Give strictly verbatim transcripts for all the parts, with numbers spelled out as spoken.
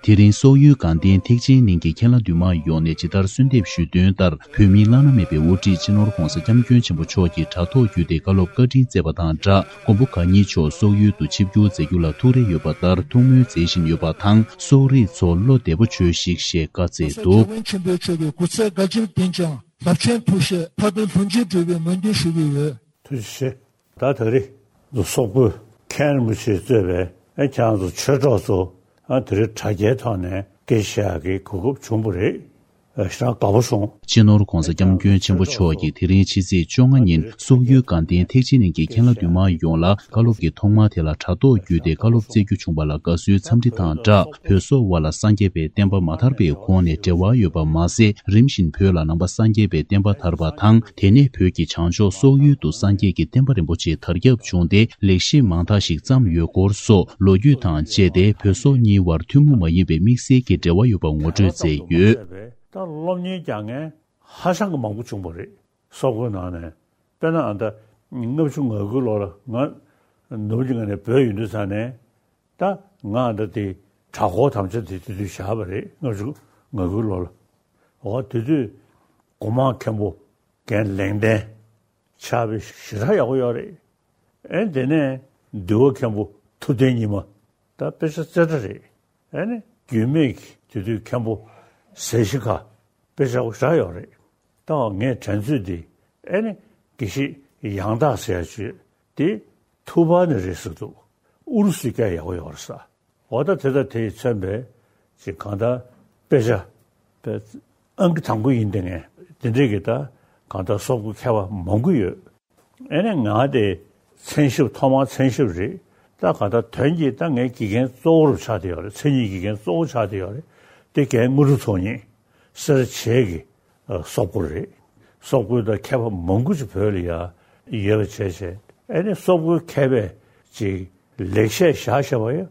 དེ་རིང་སོག་ཡུལ་དགའ་ལྡན་ཐེག་ཆེན་གླིང་གི་མཁན་བླ་འདུས་མང་ཡོངས་ནས་ཇི་ལྟར་གསོལ་འདེབས་ཞུས་དོན་ལྟར། བོད་མིའི་བླ་ན་མེད་པའི་དབུ་ཁྲིད་སྤྱི་ནོར་༧གོང་ས་༧སྐྱབས་མགོན་ཆེན་པོ་མཆོག་གིས་དྲ་ཐོག་བརྒྱུད་དེ་བཀའ་སློབ་བཀའ་དྲིན་སྩལ་བ་དང་སྦྲགས། མགོན་པོ་གང་ཉིད་མཆོག་སོག་ཡུལ་དུ་ཆིབས་བསྒྱུར་མཛད་རྒྱུ་ལ་ཐུགས་རེ་ཡོད་པ་ལྟར་ཐུགས་སྨོན་མཛད་བཞིན་ཡོད་པ་དང་། སོག་རིགས་ཚོ་བློ་བདེ་པོ་བྱོས་ཤིག་ཞེས་བཀའ་སྩལ་འདུག། རྒྱལ་བན་ཆེན་པོ་མཆོག་གི་སྐུ་ཚེ་བསྐལ་བརྒྱར་བརྟན་ཅིང་རླབས་ཆེན་ཐུགས་བཞེད་མཐའ་དོན་ལྷུན་གྱིས་གྲུབ་པའི་སྨོན་འདུན་ཞུ་གི་ཡོད། ཐུགས་རྗེ་ཆེ། ད་ད་རེས་སོག་པོའི་མཁན་རིན་པོ་ཆེས་གཙོས་པའི་ཨ་ཁྱེད་རང་ཚོ་ཆོས་གྲོགས་ཚོ་ཨ་དེ་རིང་དྲ་རྒྱའི་ཐོག་ནས་སྐད་ཆ་བཤད་ཡག་གི་གོ་སྐབས་བྱུང་བ་རེད། ཨ་ཞེ་དྲག་དགའ་པོ་བྱུང་། སྤྱི་ནོར་༧གོང་ས་༧སྐྱབས་མགོན་ཆེན་པོ་མཆོག་གིས་དེ་རིང་ཕྱི་ཚེས་བཅོ་ལྔ་ཉིན་སོག་ཡུལ་དགའ་ལྡན་ཐེག་ཆེན་གླིང་གི་མཁན་བླ་འདུས་མང་ཡོངས་ལ་བཀའ་སློབ་ཀྱི་ཐོག་མ་དེ་ལ་དྲ་ཐོག་བརྒྱུད་དེ་བཀའ་སློབ་སྩལ་རྒྱུ་བྱུང་བ་ལ་དགའ་བསུའི་འཚམས་འདྲི་དང་སྦྲགས། བོད་སོག་དབར་ལ་སངས་རྒྱས་པའི་བསྟན་པ་མ་དར་བའི་གོང་ནས་འབྲེལ་བ་ཡོད་པ་མ་ཟད། རིམ་བཞིན་བོད་ལ་ནང་པ་སངས་རྒྱས་པའི་བསྟན་པ་དར་བ་དང་། དེ་ནས་བོད་ཀྱི་བྱང་ཕྱོགས་སོག་ཡུལ་དུ་སངས་རྒྱས་ཀྱི་བསྟན་པ་རིན་པོ་ཆེ་དར་ཁྱབ་བྱུང་སྟེ། ལེགས་བཤད་མང་དག་ཞིག་བརྩམས་ཡོད་སྐོར་སོགས་ལོ་རྒྱུས་དང་བཅས་ཏེ་བོད་སོག་གཉིས་དབར་ཐུན་མོང་མ་ཡིན་པའི་དམིགས་བསལ་གྱི་འབྲེལ་བ་ཡོད་པ་ངོ་སྤྲོད་མཛད་ཡོད། ད་སློབ་གཉེར་རྒྱག་མཁན་ཧ་ཅང་གི་མང་པོ་བྱུང་བ་རེད། སོག་པོའི་ནང་ནས། དཔེར་ན་ཨ་ད་ལྔ་བཅུ་ང་དགུའི་ལོ་ལ་ང་ནུབ་ཀྱི་ངོས་ནས་བོད་ཡོང་དུས་ཙ་ནས། ད་ང་ཨ་ད་དེ་གྲྭ་སྐོར་དམ་བཅའ་དེ་དེ་དུས་བཞག་པ་རེད། ལྔ་བཅུ་ང་དགུའི་ལོ་ལ། འོ་དེ་དུས་སྒོ་མང་མཁན་པོ་རྒན་ལེགས་ལྡན་ཕྱག་དཔེ་ཞེ་དྲག་ཡག་པོ་ཡོད་རེད། ཨེ་དེ་ནས་འདུལ་བ་མཁན་པོ་ཐུབ་བསྟན་ཉི་མ། ད་དཔེ་ཆ་རྩེ་གྲ་རེད། ཨེ་ནི་རྒྱུད་སྨད་ཀྱི་དེ་དུས་མཁན་པོ་ཟས་ཞིག་ག་དཔེ་ཆ་པོ་ཞེ་དྲག་ཡོད་རེད། ད་ངས་དྲན་ཚོད་འདི་ཨེ་ནི་དགེ་བཤེས་ཡང་དག་ཟེར་ཡ་ཅིག་ཡོད། དེ་ཐུ་བྷ་ནས་རེད་ཟེར་འདུག། ཨུ་རུ་སུའི་སྐད་ཡག་པོ་ཡོད་རེད་ས། འོ་ད་དེ་དང་དེ་ཡིས་མཚོན་པའི་ཅིག་གང་ལྟར་དཔེ་ཆ་དཔེ་ཨང་ཀི་དང་པོ་ཡིན་དེ་ངས་དེ་འདྲས་ཀྱི་ད་གང་ལྟར་སོག་པོའི་མཁས་པ་མང་པོ་ཡོད། ཨེ་ནས་ང་དེ་མཚན་ཞབས་ཐོག་མར་མཚན་ཞབས་རེད། ད་གང་ལྟར་དོན་གྱིས་ད་ངའི་དགེ་རྒན་གཙོ་བོ་རུ་ཆགས་བསྡད་ཡོད་རེད། མཚན་ཉིད་ཀྱི་དགེ་རྒན་གཙོ་བོ་ཆགས་བསྡད་ཡོད་རེད། དེ་རྒན་དངོས་གྲུབ་ཚོགས་གཉིས་སེར་བྱེས་ཀྱི་ཨ་སོག་པོ་རེད། སོག་པོའི་ད་མཁས་པ་མང་པོ་ཅིག་བོད་ལ་ཡ་ཡོད་པ་བྱས་བྱས། ཨེ་ནས་སོག་པོའི་མཁས་པས་ཅིག་ལེགས་བཤད་བཞག་བཞག་པ་ཡང་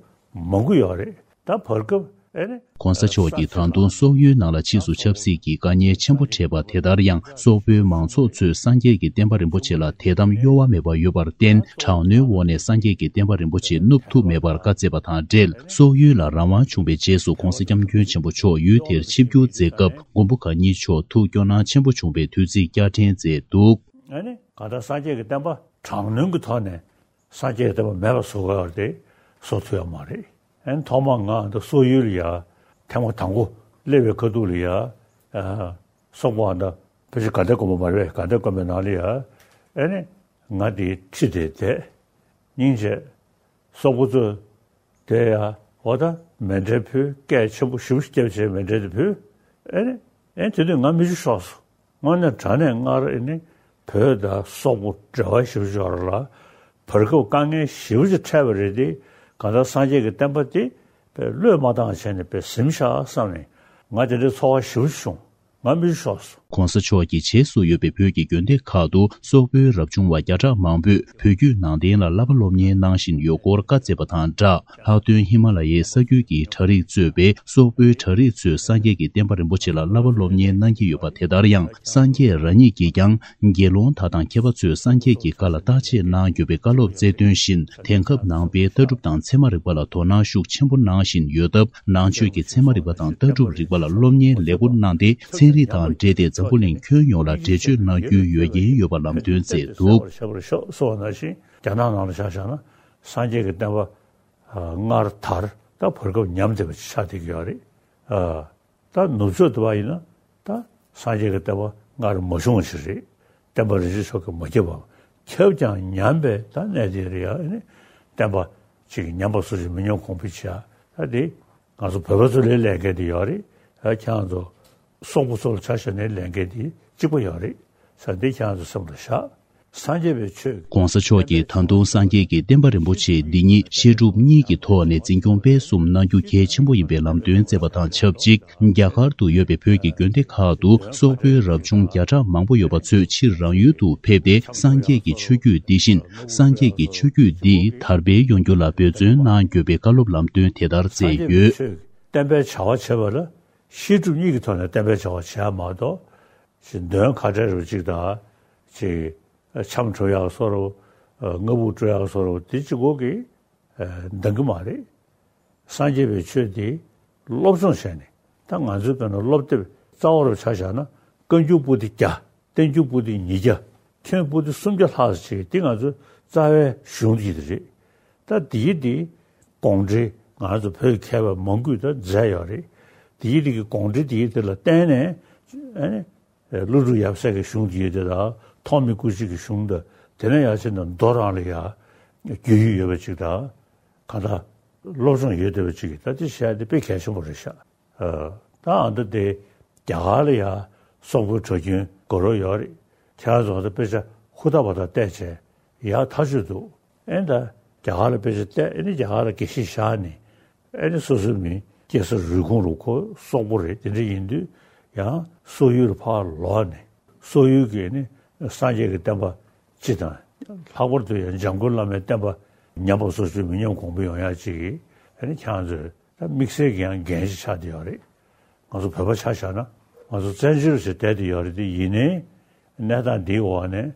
མང་པོ་ཡོད་རེད། ད་བར་སྐབས་ཨེ་ནས་༧གོང་ས་མཆོག་གིས་ད་དུང་སོག་ཡུལ་ནང་ལ་ཕྱིས་སུ་ཆབ་སྲིད་ཀྱི་དཀའ་ངལ་ཆེན་པོ་འཕྲད་པ་དེ་ལྟར་ཡང་སོག་པོའི་མང་ཚོགས་ཚོས་སངས་རྒྱས་ཀྱི་བསྟན་པ་རིན་པོ་ཆེ་ལ་དད་དམ་གཡོ་བ་མེད་པ་ཡོད་པར་བརྟེན་དྲག་གནོན་འོག་ནས་སངས་རྒྱས་ཀྱི་བསྟན་པ་རིན་པོ་ཆེ་བསྣུབ་ཐུབ་མེད་པར་བཀའ་སྩལ་བ་དང་འབྲེལ། སོག་ཡུལ་ལ་རང་དབང་བྱུང་བའི་རྗེས་སུ་༧གོང་ས་༧སྐྱབས་མགོན་ཆེན་པོ་མཆོག་ཡུལ་དེར་ཆིབས་བསྒྱུར་མཛད་སྐབས་མགོན་པོ་གང་ཉིད་མཆོག་ཐུགས་སྐྱོ་སྣང་ཆེན་པོ་བྱུང་བའི་དུས་ཚིགས་བསྐྱར་དྲན་མཛད་འདུག། ཨ་ནི་གང་ལྟར་སངས་རྒྱས་ཀྱི་བསྟན་པ་དྲག་གནོན་གྱི་ཐོག་ནས་སངས་རྒྱས་ཀྱི་བསྟན་པ་མེད་པ་བཟོ་དགོས་པ་དེ་བཟོ་ཐུབ་ཡོད་མ་རེད། ཨ་ནི་ཐོག་མར་ང་འདི་སོག་ཡུལ་ལ་ཡ་ཐེངས་མ་དང་པོ་སླེབས་པའི་ཁ་ཐུག་ལ་ཡ། ཨ་སོག་པོ་ཨ་ད་ཕལ་ཆེར་དགའ་ལྡན་དགོན་པ་མ་རེད་པས། དགའ་ལྡན་དགོན་པའི་ནང་ལ་ཡ། ཨ་ནི་ང་དེའི་ཁྲི་དེར་བསྡད། སྙིང་རྗེ། སོག་པོ་ཚོས་དེ་ཡ་འོ་ད་མཎྜལ་ཕུལ། སྐད་ཆེན་པོ་ཞེ་པོ་ཅིག་བརྒྱབ་བྱས་མཎྜལ་དེ་ཕུལ། ཨེ་ནི་ཨེ་དེ་དུས་ང་མིག་ཆུ་ཤོར་སོང་། དངོས་གནས་དྲང་གནས་སྔར་ཨེ་ནི་བོད་དང་སོག་པོ་འབྲེལ་བ་ཞེ་པོ་ཅིག་ཡོད་རེད་ལ། བར་སྐབས་དཀའ་ངལ་ཞེ་པོ་ཅིག་འཕྲད་པ་རེད་དེ། གང་ལྟར་སངས་རྒྱས་ཀྱི་བསྟན་པ་དེ་བློས་མ་བཏང་བྱས་ནས་དཔེ་ཟིན་ཤག་བསམ་ནས་ང་དེ་འདྲའི་ཚོར་བ་ཞེ་པོ་ཅིག་བྱུང་། ང་མིག་ཆུ་ཤོར་སོང་། ༸གོང་ས་མཆོག་གིས་བྱེས་སུ་ཡོད་པའི་བོད་ཀྱི་དགོན་སྡེ་ཁག་ཏུ་སོག་པོའི་རབ་བྱུང་བ་བརྒྱ་ཕྲག་མང་པོས་བོད་བརྒྱུད་ནང་བསྟན་ལ་བསླབ་པ་སློབ་གཉེར་གནང་བཞིན་ཡོད་སྐོར་བཀའ་སྩལ་བ་དང་སྦྲགས། ལྷག་དོན་ཧི་མ་ལ་ཡའི་ས་རྒྱུད་ཀྱི་གྲྭ་རིགས་གཙོས་པའི་སོག་པོའི་གྲྭ་རིགས་ཚོས་སངས་རྒྱས་ཀྱི་བསྟན་པ་རིན་པོ་ཆེ་ལ་བསླབ་པ་སློབ་གཉེར་གནང་གི་ཡོད་པ་དེ་ལྟར་ཡང་། སངས་རྒྱས་རང་ཉིད་ཀྱིས་ཀྱང་དགེ་སློང་དག་དང་མཁས་པ་ཚོས་སངས་རྒྱས་ཀྱི་བཀའ་ལ་བརྟག་དཔྱད་གནང་དགོས་པའི་བཀའ་སློབ་སྩལ་དོན་བཞིན། དེང་སྐབས་ནང་པའི་ལྟ་གྲུབ་དང་ཚད་མ་རིག་པ་ལ་དོ་སྣང་ཤུགས་ཆེན་པོ་གནང་བཞིན་ཡོད་སྟབས། ནང་ཆོས་ཀྱི་ཚད་མ་རིག་པ་དང་ལྟ་གྲུབ་རིག་པ་ལ་སློབ་གཉེར་ལེགས་པོ་གནང་སྟེ། ཚན་རིག་དང་འབྲེལ་ཏེ་འཛམ་བུ་གླིང་ཁྱོན་ཡོངས་ལ་འགྲེལ་བརྗོད་གནང་རྒྱུའི་ཡོད་རྒྱུན་ཡོད་པ་ལམ་སྟོན་མཛད་འདུག། ཤ་བར་ཤ་གསོལ་བ་ནང་བཞིན་རྒྱ་ནག་ནང་ལ་ཆ་བཞག་ན་སངས་རྒྱས་ཀྱི་བསྟན་པ་སྔར་དར། ད་བར་སྐབས་ཉམས་བསྡད་པ་ཆགས་བསྡད་ཀྱི་ཡོད་རེད། ད་ནུབ་ཕྱོགས་དུ་བ་ཡིན་ན་ད་སངས་རྒྱས་ཀྱི་བསྟན་པ་སྔར་མ་བྱུང་བ་ཞིག་རེད། བསྟན་པ་རིན་ཆེན་མཆོག་གིས་མ་ཁྱབ་པ། ཁྱབ་ཀྱང་ཉམས་པའི་ད་གནས་དེ་རེད་ཡ། ཨ་ནི་བསྟན་པ་ཅིག་ཉམས་པ་སོགས་ཀྱི་མི་ཉམས་གོང་འཕེལ་བྱེད་ཡ། ད་དེ་ང་ཚོ་བོད་པ་ཚོ་ལ་ལས་འགན་དེ་ཡོད་རེད། ཨ་ཁྱེད་རང་ཚོ་སོག་པོ་ཚོ་ལ་ཆ་བཞག་ན་ལས་འགན་དེ་གཅིག་པ་ཡོད་རེད་ཟེར། འདི་ཁྱེད་རང་ཚོ་སེམས་ལ་བཞག། སངས་རྒྱས་པའི་ཆོས། ༸གོང་ས་མཆོག་གིས་ད་དུང་སངས་རྒྱས་ཀྱི་བསྟན་པ་རིན་པོ་ཆེ་འདི་ཉིད་བཤད་སྒྲུབ་གཉིས་ཀྱི་ཐོག་ནས་འཛིན་སྐྱོང་སྤེལ་གསུམ་གནང་རྒྱུ་གལ་ཆེན་པོ་ཡིན་པའི་ལམ་སྟོན་མཛད་པ་དང་ཆབས་ཅིག། རྒྱ་གར་དུ་ཡོད་པའི་བོད་ཀྱི་དགོན་སྡེ་ཁག་ཏུ་སོག་པོའི་རབ་བྱུང་བརྒྱ་ཕྲག་མང་པོ་ཡོད་པ་ཚོས་ཕྱིར་རང་ཡུལ་དུ་ཕེབས་ཏེ། སངས་རྒྱས་ཀྱི་ཆོས་བརྒྱུད་འདི་བཞིན། སངས་རྒྱས་ཀྱི་ཆོས་བརྒྱུད་འདི་དར་སྤེལ་ཡོང་རྒྱུ་ལ་འབད་བརྩོན་གནང་དགོས་པའི་བཀའ་སློབ་ལམ་སྟོན་དེ་ལྟར་མཛད་ཡོད། བསྟན་པའི་བྱ་བ་བྱེད་པ་ལ་བཤད་སྒྲུབ་གཉིས་ཀྱི་ཐོག་ནས་བསྟན་པའི་བྱ་བ་བྱེད་ཡ་མ་གཏོགས། ཅིག་འདོན་ཁ་བྲལ་རུ་ཅིག་དང་། ཅིག་འཆམ་གྲོགས་ཡག་སོ་རུ། ཨ་སྔ་ཕུག་སྤྲོ་ཡག་བཟོ་འདྲ་དེ་གཅིག་པོ་གིས་ཨ་འདང་གི་མ་རེད། སངས་རྒྱས་པའི་ཆོས་དེ་སློབ་སྦྱོང་བྱས་ནས། ད་ང་ཚོའི་དཔེར་ན་སློབ་དེབ་རྩ་བ་རུ་ཆ་བཞག་ན། བཀའ་འགྱུར་པོ་ཏི་བརྒྱ། བསྟན་འགྱུར་པོ་ཏི་ཉིས་བརྒྱ། མཁན་པོ་ཏི་སུམ་བརྒྱ་ལྷག་ཙམ་ཅིག་དེ་ང་ཚོའི་རྩ་བའི་གཞུང་དེ་རེད། ད་དེའི་དེ་དགོངས་འགྲེལ། ང་ཚོ་བོད་མཁས་པ་མང་པོས་ད་མཛད་ཡོད་རེད། དེའི་དེ་གི་དགོངས་འགྲེལ་དེའི་དེ་ལ་བརྟེན་ནས། ཨ་ནི་ཀླུ་སྒྲུབ་ཡབ་སྲས་ཀྱི་གཞུང་དེའི་དེ་དང་། ཐོགས་མེད་སྐུ་མཆེད་ཀྱི་གཞུང་དང་། དེ་ནས་ཡར་ཕྱིན་ནས་མདོ་རང་ལ་ཡ་རྒྱུས་ཡོད་པ་ཅིག་དང་། གང་ལྟར་སློབ་སྦྱོང་ཡོད་བསྡད་པ་ཅིག་གིས། ད་དེ་བཤད་དེ་དཔེ་གལ་ཆེན་པོ་རེད་ཤག་ཨ། ད་ཨ་མདོ་དེ་རྒྱ་གར་ལ་ཡ་སོག་པོའི་གྲྭ་རྒྱུན་དགོས་རོགས་ཡོད་རེད། ཁྱེད་རང་ཚོ་ད་དཔེ་ཆ་ཧུར་ཐག་པ་ཐག་བལྟས་བྱས་ཡག་ཐག་ཆོད་འདུག་ཨེ། ད་རྒྱ་གར་ལ་དཔེ་ཆ་བལྟས། ཨེ་ནི་རྒྱ་གར་ལ་དགེ་བཤེས་བཞག་ནས། ཨེ་ནི་སོ་སོའི་མི་སྐྱེས་ས་རུས་ཁུངས་རུ་ཁོ་སོག་པོ་རེད། དེ་འདྲ་ཡིན་དུས་ཡང་སོག་ཡུལ་ལ་ཕར་ལོག་ནས། སོག་ཡུལ་གྱི་ནི་སངས་རྒྱས་ཀྱི་བསྟན་པ་སྤྱི་དང་། ལྷག་པར་དུ་ཡང་འཇམ་མགོན་བླ་མའི་བསྟན་པ་ཉམས་པ་སོར་ཆུད་མི་ཉམས་གོང་འཕེལ་ཡོང་ཡག་ཅིག་གི། ཨེ་ནི་ཁྱེད་རང་ཚོས་ད་དམིགས་བསལ་གྱི་ཡང་འགན་ཞིག་ཆགས་བསྡད་ཡོད་རེད། ང་ཚོ་བོད་པ་ཆ་བཞག་ན། ང་ཚོ་བཙན་བྱོལ་ཞིག་བསྡད་བསྡད་ཡོད་རེད། དེ་ཡིན་ནའི་གནས་སྟངས་འདིའི་འོག་ནས་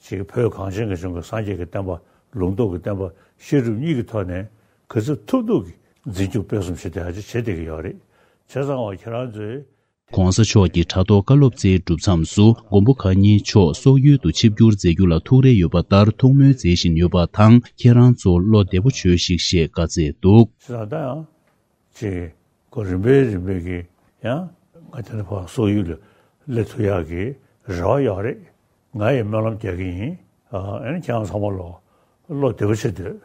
ཅིག་བོད་གངས་ཅན་གྱི་ལྗོངས་ཀྱི་སངས་རྒྱས་ཀྱི་བསྟན་པ། ལུང་རྟོགས་ཀྱི་བསྟན་པ་བཤད་སྒྲུབ་གཉིས་ཀྱི་ཐོག་ནས་ག་ཚོད་ཐུབ་ཐུབ་ཀྱིས་འཛིན་སྐྱོང་སྤེལ་གསུམ་བྱེད་བསྡད་ཡག་ཅིག་བྱེད་བསྡད་ཀྱི་ཡོད་རེད། བྱས་ཙང་ཨོ་ཁྱེད་རང་ཚོས། གོང་ས་མཆོག་གི་དྲ་ཐོག་བཀའ་སློབ་སྩལ་གྲུབ་མཚམས་སུ། མགོན་པོ་གང་ཉིད་མཆོག་སོག་ཡུལ་དུ་ཆིབས་བསྒྱུར་མཛད་རྒྱུ་ལ་ཐུགས་རེ་ཡོད་པ་ལྟར་ཐུགས་སྨོན་མཛད་བཞིན་ཡོད་པ་དང་། ཁྱེད་རང་ཚོ་བློ་བདེ་པོ་བྱོས་ཤིག་ཞེས་བཀའ་སྩལ་འདུག་བྱས་ཙང་ད་ཡང་ཅིག་གོ་རིམ་པས་རིམ་པས་ཀྱིས་ཡང་ང་དེ་ནས་ཕར་སོག་ཡུལ་ལ་སླེབས་ཐུབ་ཡག་གི་རེ་བ་ཡོད་རེད། ང་ཡི་སྨོན་ལམ་རྒྱག་གི་ཡིན། ཨ་ནི་ཁྱེད་རང་ཚང་མ་ལོ་བློ་བདེ་པོ་བྱེད་སྡོད།